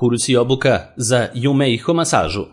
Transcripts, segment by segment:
Kurs i obuka za Yumeiho masažu.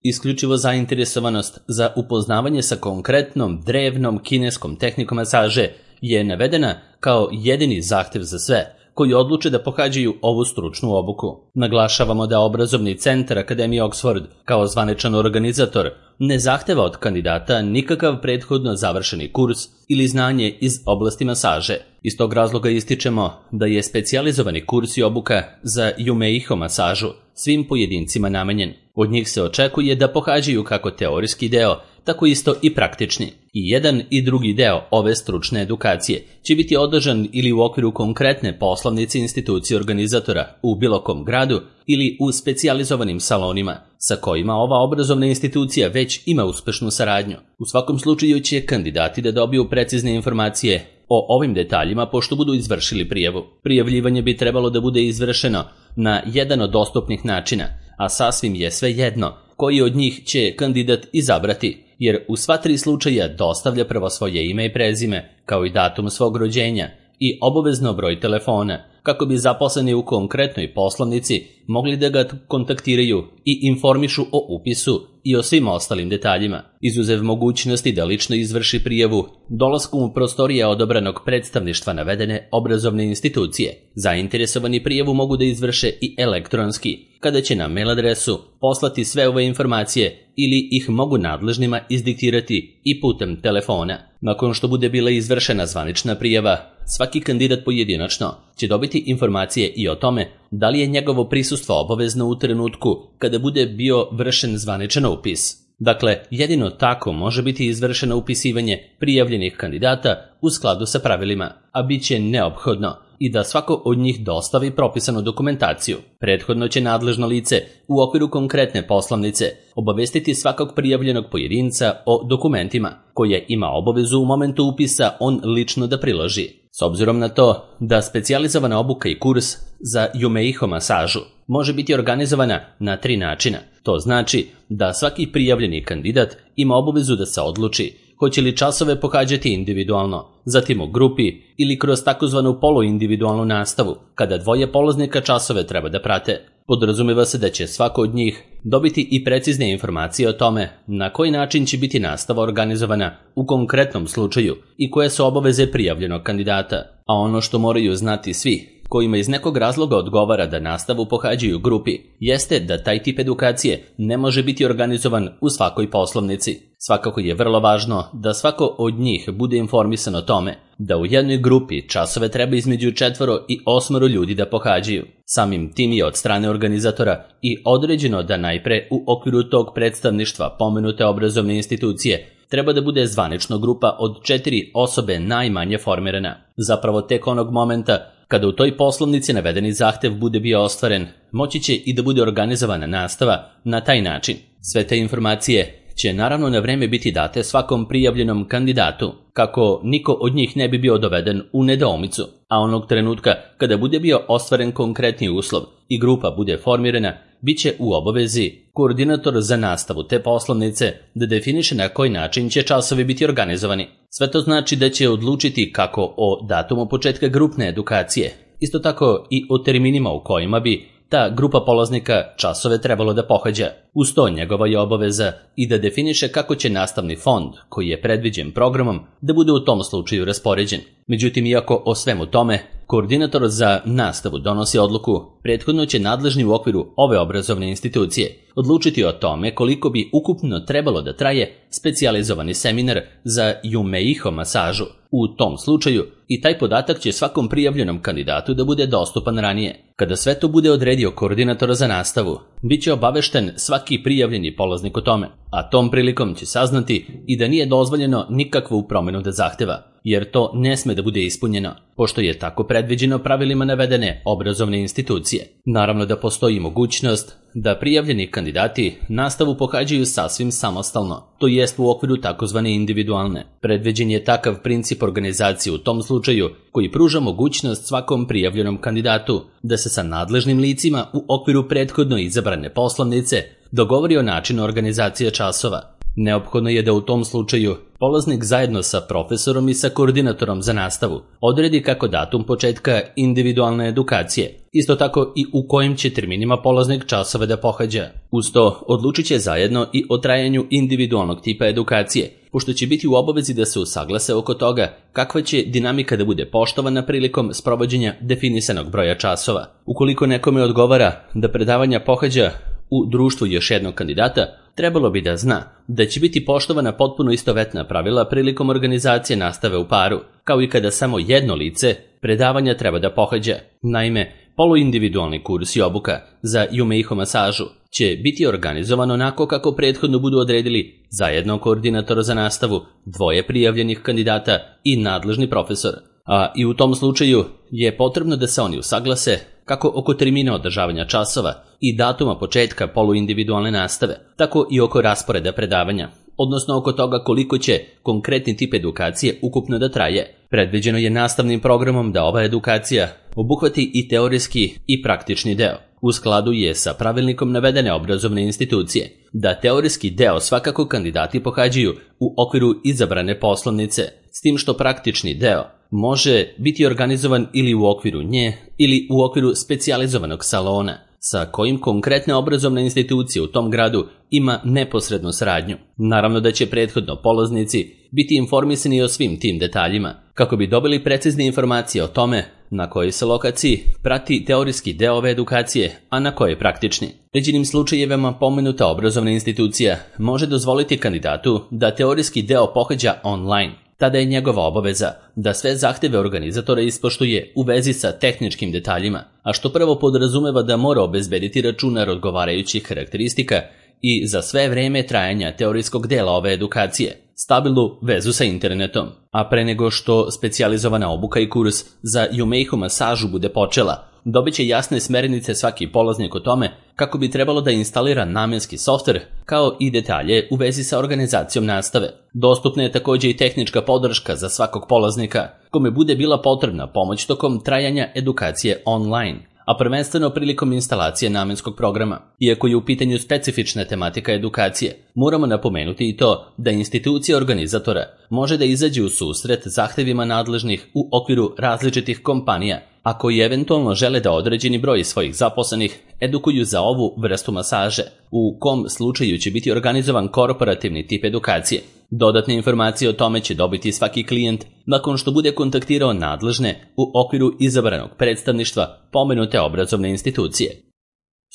Isključivo zainteresovanost za upoznavanje sa konkretnom drevnom kineskom tehnikom masaže je navedena kao jedini zahtev za sve koji odluče da pohađaju ovu stručnu obuku. Naglašavamo da obrazovni centar Akademije Oxford kao zvaničan organizator ne zahteva od kandidata nikakav prethodno završeni kurs ili znanje iz oblasti masaže. Iz tog razloga ističemo da je specijalizovani kurs i obuka za Yumeiho masažu svim pojedincima namenjen. Od njih se očekuje da pohađaju kako teorijski deo, tako isto i praktični. I jedan i drugi deo ove stručne edukacije će biti održan ili u okviru konkretne poslovnice institucije organizatora u bilo kom gradu ili u specijalizovanim salonima sa kojima ova obrazovna institucija već ima uspešnu saradnju. U svakom slučaju će kandidati da dobiju precizne informacije o ovim detaljima pošto budu izvršili prijavu. Prijavljivanje bi trebalo da bude izvršeno na jedan od dostupnih načina, a sasvim je svejedno koji od njih će kandidat izabrati, jer u sva tri slučaja dostavlja prvo svoje ime i prezime, kao i datum svog rođenja i obavezno broj telefona, kako bi zaposleni u konkretnoj poslovnici mogli da ga kontaktiraju i informišu o upisu i o svim ostalim detaljima. Izuzev mogućnosti da lično izvrši prijavu dolaskom u prostorije odobranog predstavništva navedene obrazovne institucije, zainteresovani prijavu mogu da izvrše i elektronski, kada će na mail adresu poslati sve ove informacije ili ih mogu nadležnima izdiktirati i putem telefona. Nakon što bude bila izvršena zvanična prijava, svaki kandidat pojedinačno će dobiti informacije i o tome da li je njegovo prisustvo obavezno u trenutku kada bude bio vršen zvaničan upis. Dakle, jedino tako može biti izvršeno upisivanje prijavljenih kandidata u skladu sa pravilima, a bit će neophodno i da svako od njih dostavi propisanu dokumentaciju. Prethodno će nadležno lice u okviru konkretne poslovnice obavestiti svakog prijavljenog pojedinca o dokumentima koje ima obavezu u momentu upisa on lično da priloži. S obzirom na to da specijalizovana obuka i kurs za Yumeiho masažu može biti organizovana na 3 načina. To znači da svaki prijavljeni kandidat ima obavezu da se odluči hoće li časove pohađati individualno, zatim u grupi ili kroz takozvanu poluindividualnu nastavu, kada dvoje polaznika časove treba da prate. Podrazumeva se da će svako od njih dobiti i precizne informacije o tome na koji način će biti nastava organizovana u konkretnom slučaju i koje su obaveze prijavljenog kandidata. A ono što moraju znati svi kojima iz nekog razloga odgovara da nastavu pohađaju u grupi, jeste da taj tip edukacije ne može biti organizovan u svakoj poslovnici. Svakako je vrlo važno da svako od njih bude informisan o tome da u jednoj grupi časove treba između 4 i 8 ljudi da pohađaju. Samim tim je od strane organizatora i određeno da najpre u okviru tog predstavništva pomenute obrazovne institucije treba da bude zvanično grupa od 4 osobe najmanje formirana. Zapravo tek onog momenta kada u toj poslovnici navedeni zahtev bude bio ostvaren, moći će i da bude organizovana nastava na taj način. Sve te informacije će naravno na vreme biti date svakom prijavljenom kandidatu, kako niko od njih ne bi bio doveden u nedoumicu, a onog trenutka kada bude bio ostvaren konkretni uslov i grupa bude formirana, bit će u obavezi koordinator za nastavu te poslovnice da definiše na koji način će časovi biti organizovani. Sve to znači da će odlučiti kako o datumu početka grupne edukacije, isto tako i o terminima u kojima bi ta grupa polaznika časove trebalo da pohađa. Uz to njegova je obaveza i da definiše kako će nastavni fond, koji je predviđen programom, da bude u tom slučaju raspoređen. Međutim, iako o svemu tome koordinator za nastavu donosi odluku, prethodno će nadležni u okviru ove obrazovne institucije odlučiti o tome koliko bi ukupno trebalo da traje specijalizovani seminar za Yumeiho masažu. U tom slučaju i taj podatak će svakom prijavljenom kandidatu da bude dostupan ranije. Kada sve to bude odredio koordinator za nastavu, bit će obavešten svaki prijavljeni polaznik o tome, a tom prilikom će saznati i da nije dozvoljeno nikakvu promenu da zahteva, jer to ne sme da bude ispunjeno, pošto je tako predviđeno pravilima navedene obrazovne institucije. Naravno da postoji mogućnost da prijavljeni kandidati nastavu pohađaju sasvim samostalno, to jest u okviru takozvane individualne. Predviđen je takav princip organizacije u tom slučaju koji pruža mogućnost svakom prijavljenom kandidatu da se sa nadležnim licima u okviru prethodno izabrane poslovnice dogovori o načinu organizacije časova. Neophodno je da u tom slučaju polaznik zajedno sa profesorom i sa koordinatorom za nastavu odredi kako datum početka individualne edukacije, isto tako i u kojim će terminima polaznik časove da pohađa. Uz to odlučit će zajedno i o trajanju individualnog tipa edukacije, pošto će biti u obavezi da se usaglase oko toga kakva će dinamika da bude poštovana prilikom sprovođenja definisanog broja časova. Ukoliko nekome odgovara da predavanja pohađa u društvu još jednog kandidata, trebalo bi da zna da će biti poštovana potpuno istovetna pravila prilikom organizacije nastave u paru, kao i kada samo jedno lice predavanja treba da pohađa. Naime, poluindividualni kurs i obuka za Yumeiho masažu će biti organizovan onako kako prethodno budu odredili zajedno koordinator za nastavu, dvoje prijavljenih kandidata i nadležni profesor. A i u tom slučaju je potrebno da se oni usaglase kako oko termina održavanja časova i datuma početka poluindividualne nastave, tako i oko rasporeda predavanja, odnosno oko toga koliko će konkretni tip edukacije ukupno da traje. Predviđeno je nastavnim programom da ova edukacija obuhvati i teorijski i praktični deo. U skladu je sa pravilnikom navedene obrazovne institucije da teorijski deo svakako kandidati pohađaju u okviru izabrane poslovnice, s tim što praktični deo može biti organizovan ili u okviru nje ili u okviru specijalizovanog salona, sa kojim konkretna obrazovna institucija u tom gradu ima neposrednu saradnju. Naravno da će prethodno polaznici biti informisani o svim tim detaljima, kako bi dobili precizne informacije o tome na kojoj se lokaciji prati teorijski deo ove edukacije, a na kojoj praktični. Ređenim slučajevima pomenuta obrazovna institucija može dozvoliti kandidatu da teorijski deo pohađa online. Tada je njegova obaveza da sve zahteve organizatora ispoštuje u vezi sa tehničkim detaljima, a što prvo podrazumeva da mora obezbediti računar odgovarajućih karakteristika i za sve vreme trajanja teorijskog dela ove edukacije stabilnu vezu sa internetom. A pre nego što specijalizovana obuka i kurs za Yumeiho masažu bude počela, dobit će jasne smernice svaki polaznik o tome kako bi trebalo da instalira namenski softver, kao i detalje u vezi sa organizacijom nastave. Dostupna je također i tehnička podrška za svakog polaznika kome bude bila potrebna pomoć tokom trajanja edukacije online, a prvenstveno prilikom instalacije namenskog programa. Iako je u pitanju specifična tematika edukacije, moramo napomenuti i to da institucija organizatora može da izađe u susret zahtevima nadležnih u okviru različitih kompanija, a koji eventualno žele da određeni broj svojih zaposlenih edukuju za ovu vrstu masaže, u kom slučaju će biti organizovan korporativni tip edukacije. Dodatne informacije o tome će dobiti svaki klijent nakon što bude kontaktirao nadležne u okviru izabranog predstavništva pomenute obrazovne institucije.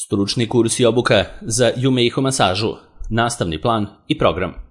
Stručni kurs i obuka za Yumeiho masažu, nastavni plan i program.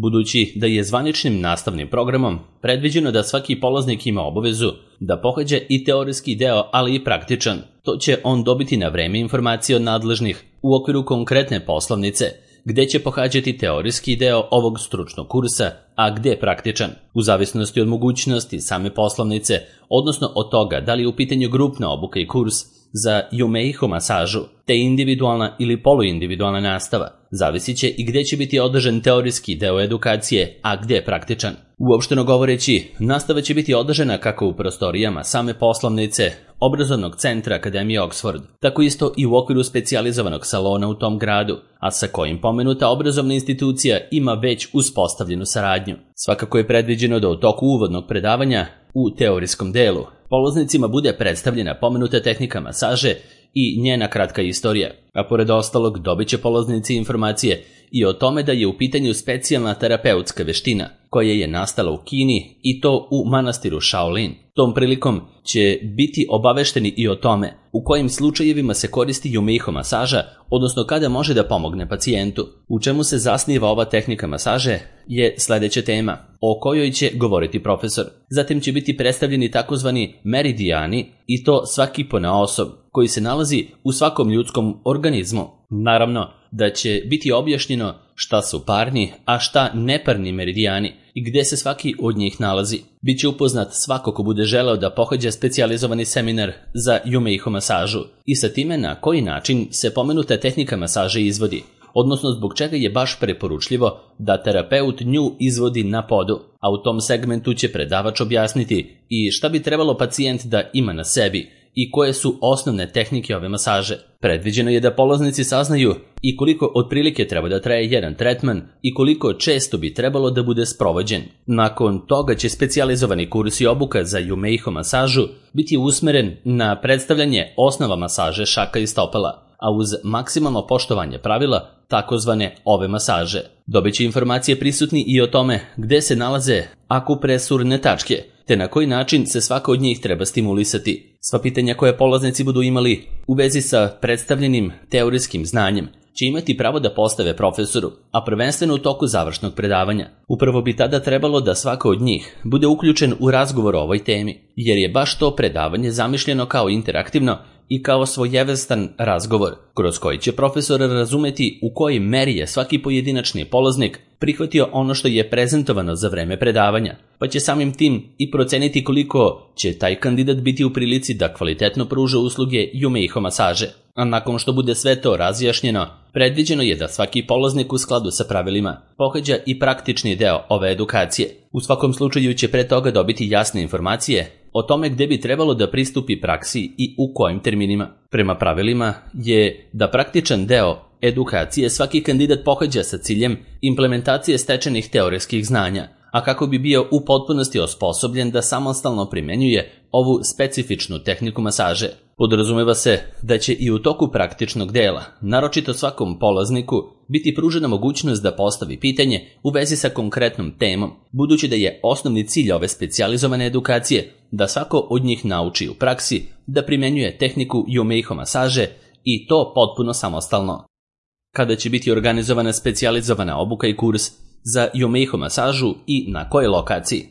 Budući da je zvaničnim nastavnim programom predviđeno da svaki polaznik ima obavezu da pohađa i teorijski deo, ali i praktičan, to će on dobiti na vreme informacije od nadležnih u okviru konkretne poslovnice, gde će pohađati teorijski deo ovog stručnog kursa, a gde praktičan, u zavisnosti od mogućnosti same poslovnice, odnosno od toga da li je u pitanju grupna obuka i kurs za Yumeiho masažu, te individualna ili poluindividualna nastava. Zavisit će i gde će biti održan teorijski deo edukacije, a gde praktičan. Uopšteno govoreći, nastava će biti održana kako u prostorijama same poslovnice obrazovnog centra Akademije Oxford, tako isto i u okviru specijalizovanog salona u tom gradu, a sa kojim pomenuta obrazovna institucija ima već uspostavljenu saradnju. Svakako je predviđeno da u toku uvodnog predavanja u teorijskom delu polaznicima bude predstavljena pomenuta tehnika masaže i njena kratka istorija, a pored ostalog dobit će polaznici informacije i o tome da je u pitanju specijalna terapeutska veština koja je nastala u Kini i to u manastiru Shaolin. Tom prilikom će biti obavešteni i o tome u kojim slučajevima se koristi Yumeiho masaža, odnosno kada može da pomogne pacijentu. U čemu se zasniva ova tehnika masaže je sledeća tema, o kojoj će govoriti profesor. Zatim će biti predstavljeni takozvani meridijani i to svaki ponaosob koji se nalazi u svakom ljudskom organizmu. Naravno da će biti objašnjeno šta su parni, a šta neparni meridijani i gde se svaki od njih nalazi. Biće upoznat svako ko bude želeo da pohađa specijalizovani seminar za Yumeiho masažu i sa time na koji način se pomenuta tehnika masaže izvodi, odnosno zbog čega je baš preporučljivo da terapeut nju izvodi na podu, a u tom segmentu će predavač objasniti i šta bi trebalo pacijent da ima na sebi i koje su osnovne tehnike ove masaže. Predviđeno je da polaznici saznaju i koliko otprilike treba da traje jedan tretman i koliko često bi trebalo da bude sprovođen. Nakon toga će specijalizovani kurs i obuka za Yumeiho masažu biti usmeren na predstavljanje osnova masaže šaka i stopala, a uz maksimalno poštovanje pravila takozvane ove masaže. Dobiće informacije prisutni i o tome gde se nalaze akupresurne tačke, te na koji način se svaka od njih treba stimulisati. Sva pitanja koje polaznici budu imali u vezi sa predstavljenim teorijskim znanjem će imati pravo da postave profesoru, a prvenstveno u toku završnog predavanja. Upravo bi tada trebalo da svako od njih bude uključen u razgovor o ovoj temi, jer je baš to predavanje zamišljeno kao interaktivno i kao svojevrstan razgovor, kroz koji će profesor razumeti u kojoj meri je svaki pojedinačni polaznik prihvatio ono što je prezentovano za vreme predavanja, pa će samim tim i proceniti koliko će taj kandidat biti u prilici da kvalitetno pruža usluge Yumeiho masaže. A nakon što bude sve to razjašnjeno, predviđeno je da svaki polaznik u skladu sa pravilima pohađa i praktični deo ove edukacije. U svakom slučaju će pre toga dobiti jasne informacije o tome gde bi trebalo da pristupi praksi i u kojim terminima. Prema pravilima je da praktičan deo edukacije svaki kandidat pohađa sa ciljem implementacije stečenih teorijskih znanja, a kako bi bio u potpunosti osposobljen da samostalno primenjuje ovu specifičnu tehniku masaže. Podrazumeva se da će i u toku praktičnog dela, naročito svakom polazniku, biti pružena mogućnost da postavi pitanje u vezi sa konkretnom temom, budući da je osnovni cilj ove specijalizovane edukacije da svako od njih nauči u praksi da primenjuje tehniku Yumeiho masaže i to potpuno samostalno. Kada će biti organizovana specijalizovana obuka i kurs za Yumeiho masažu i na kojoj lokaciji?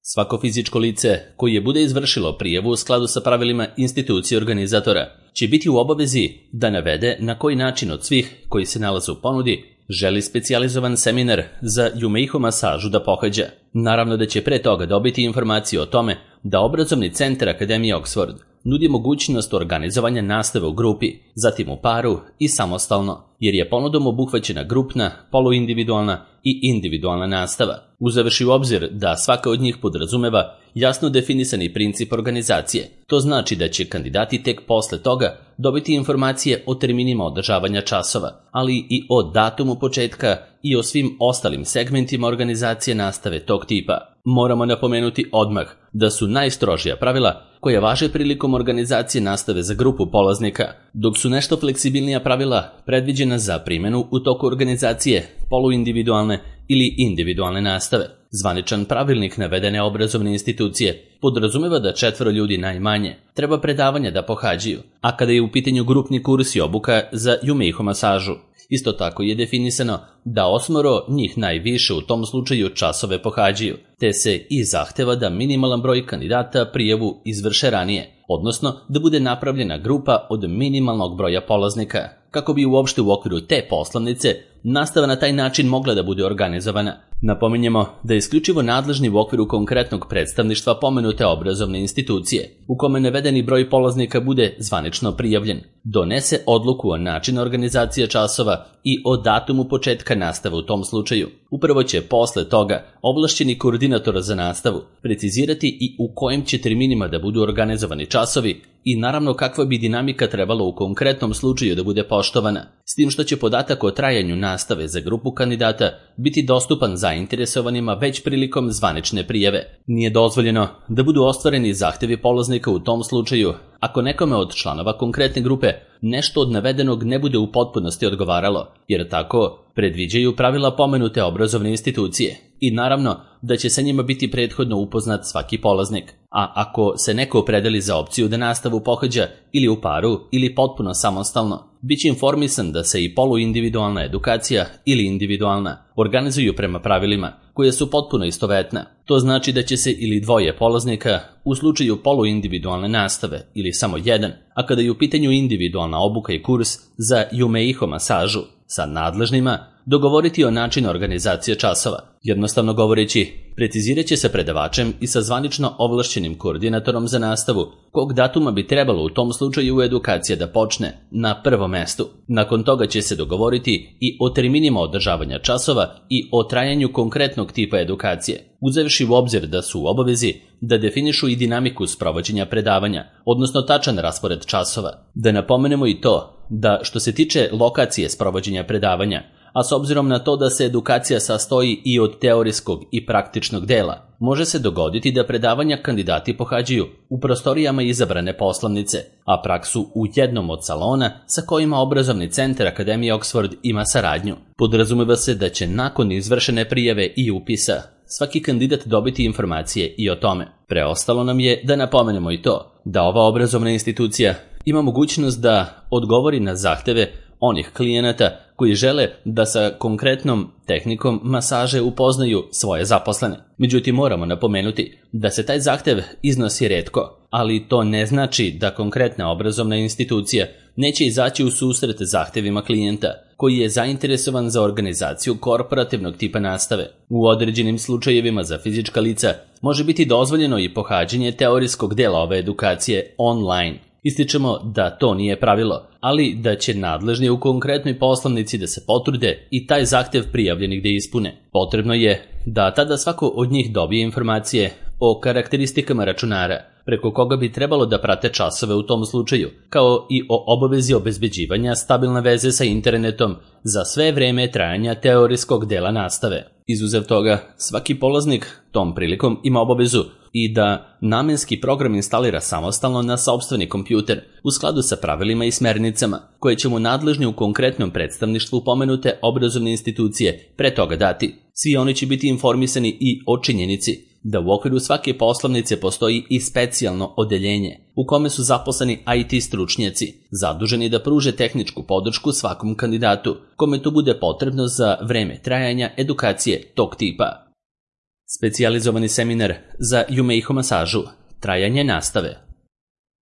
Svako fizičko lice koje je bude izvršilo prijavu u skladu sa pravilima institucije organizatora će biti u obavezi da navede na koji način od svih koji se nalaze u ponudi želi specijalizovan seminar za Yumeiho masažu da pohađa. Naravno da će pre toga dobiti informaciju o tome da obrazovni centar Akademije Oxford nudi mogućnost organizovanja nastave u grupi, zatim u paru i samostalno, jer je ponudom obuhvaćena grupna, poluindividualna i individualna nastava. Uzevši u obzir da svaka od njih podrazumeva jasno definisani princip organizacije, to znači da će kandidati tek posle toga dobiti informacije o terminima održavanja časova, ali i o datumu početka i o svim ostalim segmentima organizacije nastave tog tipa. Moramo napomenuti odmah da su najstrožija pravila koja važe prilikom organizacije nastave za grupu polaznika, dok su nešto fleksibilnija pravila predviđena za primjenu u toku organizacije poluindividualne ili individualne nastave. Zvaničan pravilnik navedene obrazovne institucije podrazumeva da 4 ljudi najmanje treba predavanja da pohađaju, a kada je u pitanju grupni kurs i obuka za Yumeiho masažu, isto tako je definisano da 8 njih najviše u tom slučaju časove pohađaju, te se i zahteva da minimalan broj kandidata prijavu izvrše ranije, odnosno da bude napravljena grupa od minimalnog broja polaznika, kako bi uopšte u okviru te poslanice nastava na taj način mogla da bude organizovana. Napominjemo da je isključivo nadležni u okviru konkretnog predstavništva pomenute obrazovne institucije, u kome navedeni broj polaznika bude zvanično prijavljen, donese odluku o načinu organizacije časova i o datumu početka nastave u tom slučaju. Upravo će posle toga ovlašćeni koordinator za nastavu precizirati i u kojim će terminima da budu organizovani časovi i naravno kakva bi dinamika trebalo u konkretnom slučaju da bude poštovana, s tim što će podatak o trajanju nastave za grupu kandidata biti dostupan zainteresovanima već prilikom zvanične prijave. Nije dozvoljeno da budu ostvareni zahtevi polaznika u tom slučaju ako nekome od članova konkretne grupe nešto od navedenog ne bude u potpunosti odgovaralo, jer tako predviđaju pravila pomenute obrazovne institucije i naravno da će sa njima biti prethodno upoznat svaki polaznik. A ako se neko opredeli za opciju da nastavu pohađa ili u paru ili potpuno samostalno, bit će informisan da se i poluindividualna edukacija ili individualna organizuju prema pravilima koje su potpuno istovetna. To znači da će se ili 2 polaznika u slučaju poluindividualne nastave ili samo 1, a kada je u pitanju individualna obuka i kurs za Yumeiho masažu sa nadležnima dogovoriti o načinu organizacije časova, Jednostavno govoreći, precizirat će se predavačem i sa zvanično ovlašćenim koordinatorom za nastavu kog datuma bi trebalo u tom slučaju edukacija da počne na prvom mestu. Nakon toga će se dogovoriti i o terminima održavanja časova i o trajanju konkretnog tipa edukacije, uzevši u obzir da su u obavezi da definišu i dinamiku sprovođenja predavanja, odnosno tačan raspored časova. Da napomenemo i to da što se tiče lokacije sprovođenja predavanja, a s obzirom na to da se edukacija sastoji i od teorijskog i praktičnog dela, može se dogoditi da predavanja kandidati pohađaju u prostorijama izabrane poslovnice, a praksu u jednom od salona sa kojima obrazovni centar Akademije Oxford ima saradnju. Podrazumeva se da će nakon izvršene prijave i upisa svaki kandidat dobiti informacije i o tome. Preostalo nam je da napomenemo i to da ova obrazovna institucija ima mogućnost da odgovori na zahteve onih klijenata koji žele da sa konkretnom tehnikom masaže upoznaju svoje zaposlene. Međutim, moramo napomenuti da se taj zahtev iznosi retko, ali to ne znači da konkretna obrazovna institucija neće izaći u susret zahtevima klijenta koji je zainteresovan za organizaciju korporativnog tipa nastave. U određenim slučajevima za fizička lica može biti dozvoljeno i pohađanje teorijskog dela ove edukacije online. Ističemo da to nije pravilo, ali da će nadležni u konkretnoj poslovnici da se potrude i taj zahtev prijavljenih da ispune. Potrebno je da tada svako od njih dobije informacije o karakteristikama računara, preko koga bi trebalo da prate časove u tom slučaju, kao i o obavezi obezbeđivanja stabilne veze sa internetom za sve vreme trajanja teorijskog dela nastave. Izuzev toga, svaki polaznik tom prilikom ima obavezu i da namenski program instalira samostalno na sopstveni kompjuter u skladu sa pravilima i smernicama koje će mu nadležni u konkretnom predstavništvu pomenute obrazovne institucije pre toga dati. Svi oni će biti informisani i o činjenici da u okviru svake poslovnice postoji i specijalno odeljenje u kome su zaposleni IT stručnjaci zaduženi da pruže tehničku podršku svakom kandidatu kome to bude potrebno za vreme trajanja edukacije tog tipa. Specijalizovani seminar za Yumeiho masažu, trajanje nastave.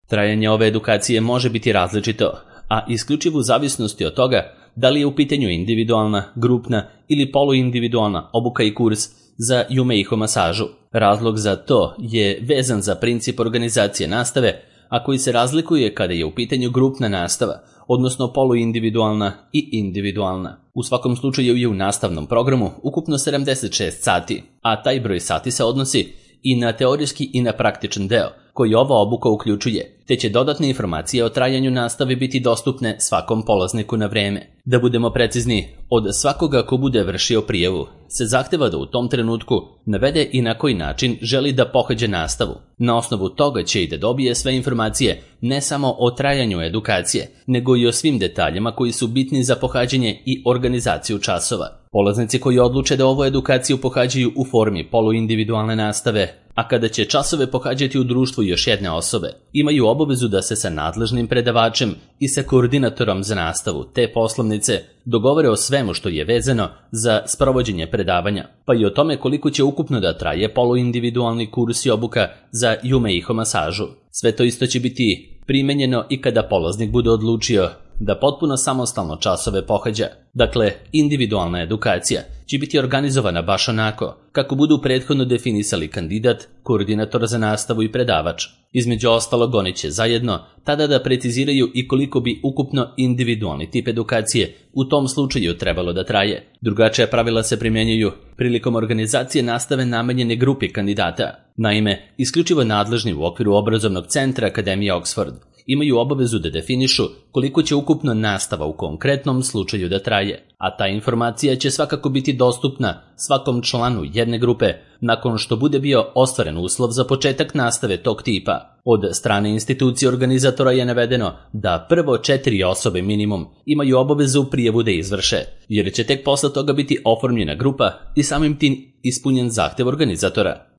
Trajanje ove edukacije može biti različito, a isključivo u zavisnosti od toga da li je u pitanju individualna, grupna ili poluindividualna obuka i kurs za Yumeiho masažu. Razlog za to je vezan za princip organizacije nastave, a koji se razlikuje kada je u pitanju grupna nastava, odnosno poluindividualna i individualna. U svakom slučaju je u nastavnom programu ukupno 76 sati, a taj broj sati se odnosi i na teorijski i na praktičan deo, koji ova obuka uključuje, te će dodatne informacije o trajanju nastave biti dostupne svakom polazniku na vreme. Da budemo precizni, od svakoga ko bude vršio prijavu se zahteva da u tom trenutku navede i na koji način želi da pohađa nastavu. Na osnovu toga će i da dobije sve informacije ne samo o trajanju edukacije, nego i o svim detaljima koji su bitni za pohađanje i organizaciju časova. Polaznici koji odluče da ovu edukaciju pohađaju u formi poluindividualne nastave, a kada će časove pohađati u društvu još jedne osobe, imaju obavezu da se sa nadležnim predavačem i sa koordinatorom za nastavu te poslovnice dogovore o svemu što je vezano za sprovođenje predavanja, pa i o tome koliko će ukupno da traje poluindividualni kurs i obuka za Yumeiho masažu. Sve to isto će biti primenjeno i kada polaznik bude odlučio da potpuno samostalno časove pohađa. Dakle, individualna edukacija će biti organizovana baš onako kako budu prethodno definisali kandidat, koordinator za nastavu i predavač. Između ostalog, oni će zajedno tada da preciziraju i koliko bi ukupno individualni tip edukacije u tom slučaju trebalo da traje. Drugačija pravila se primjenjuju prilikom organizacije nastave namenjene grupi kandidata. Naime, isključivo nadležni u okviru obrazovnog centra Akademije Oxford imaju obavezu da definišu koliko će ukupno nastava u konkretnom slučaju da traje, a ta informacija će svakako biti dostupna svakom članu jedne grupe nakon što bude bio ostvaren uslov za početak nastave tog tipa. Od strane institucije organizatora je navedeno da prvo 4 osobe minimum imaju obavezu prijavu da izvrše, jer će tek posle toga biti oformljena grupa i samim tim ispunjen zahtev organizatora.